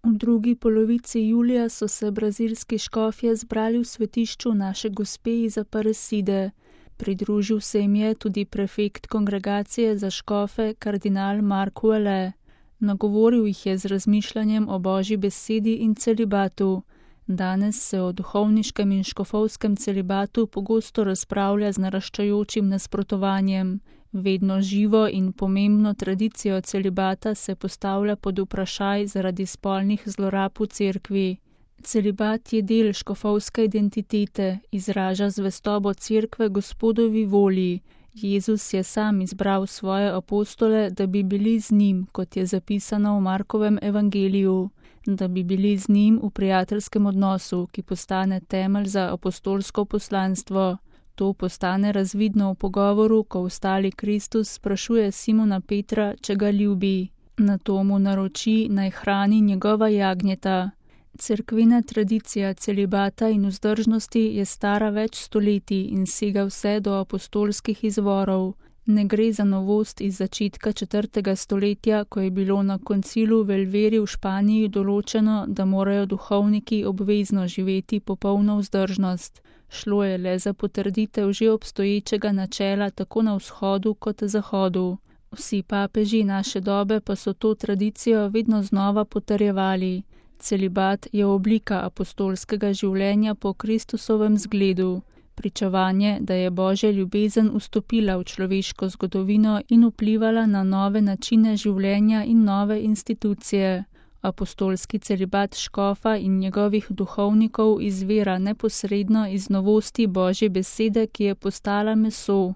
V drugi polovici julija so se brazilski škofje zbrali v svetišču Naše Gospe iz Aparecide. Pridružil se jim je tudi prefekt kongregacije za škofe kardinal Marko Alle. Nagovoril jih je z razmišljanjem o Božji besedi in celibatu. Danes se o duhovniškem in škofovskem celibatu pogosto razpravlja z naraščajočim nasprotovanjem. Vedno živo in pomembno tradicijo celibata se postavlja pod vprašaj zaradi spolnih zlorab v cerkvi. Celibat je del škofovske identitete, izraža zvestobo cerkve Gospodovi volji. Jezus je sam izbral svoje apostole, da bi bili z njim, kot je zapisano v Markovem evangeliju, da bi bili z njim v prijateljskem odnosu, ki postane temelj za apostolsko poslanstvo. To postane razvidno v pogovoru, ko vstali Kristus sprašuje Simona Petra, če ga ljubi. Nato mu naroči, naj hrani njegova jagnjeta. Cerkvena tradicija celibata in vzdržnosti je stara več stoletij in sega vse do apostolskih izvorov. Ne gre za novost iz začetka 4. stoletja, ko je bilo na koncilu v Elveri v Španiji določeno, da morajo duhovniki obvezno živeti popolno vzdržnost. Šlo je le za potrditev že obstoječega načela tako na vzhodu kot zahodu. Vsi papeži naše dobe pa so to tradicijo vedno znova potrjevali. Celibat je oblika apostolskega življenja po Kristusovem zgledu. Pričevanje, da je Božja ljubezen vstopila v človeško zgodovino in vplivala na nove načine življenja in nove institucije. Apostolski celibat škofa in njegovih duhovnikov izvira neposredno iz novosti Božje besede, ki je postala meso.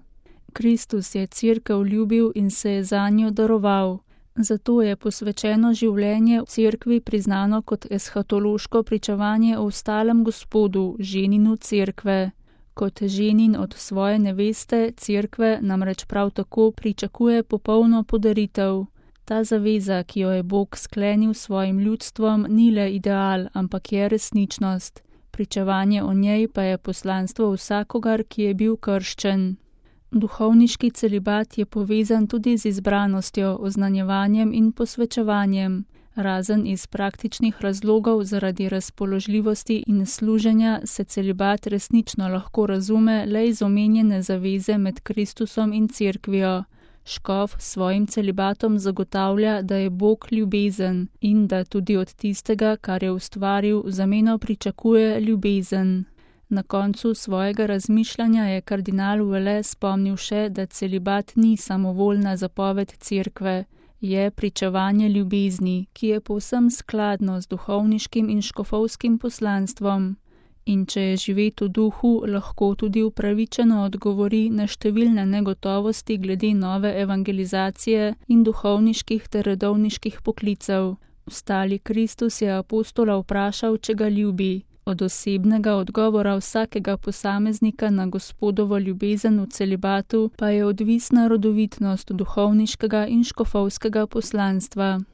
Kristus je cerkev ljubil in se je zanjo daroval. Zato je posvečeno življenje v cerkvi priznano kot eshatološko pričevanje o vstalem Gospodu, ženinu cerkve. Kot ženin od svoje neveste, cerkve namreč prav tako pričakuje popolno podaritev. Ta zaveza, ki jo je Bog sklenil s svojim ljudstvom, ni le ideal, ampak je resničnost. Pričevanje o njej pa je poslanstvo vsakogar, ki je bil krščen. Duhovniški celibat je povezan tudi z izbranostjo, oznanjevanjem in posvečevanjem. Razen iz praktičnih razlogov zaradi razpoložljivosti in služenja se celibat resnično lahko razume le iz omenjene zaveze med Kristusom in cerkvijo. Škof s svojim celibatom zagotavlja, da je Bog ljubezen in da tudi od tistega, kar je ustvaril, v zameno pričakuje ljubezen. Na koncu svojega razmišljanja je kardinal Alle spomnil še, da celibat ni samovoljna zapoved cerkve, je pričevanje ljubezni, ki je povsem skladno z duhovniškim in škofovskim poslanstvom. In če je živeti v duhu, lahko tudi upravičeno odgovori na številne negotovosti glede nove evangelizacije in duhovniških ter redovniških poklicev. Vstali Kristus je apostola vprašal, če ga ljubi. Od osebnega odgovora vsakega posameznika na Gospodovo ljubezen v celibatu pa je odvisna rodovitnost duhovniškega in škofovskega poslanstva.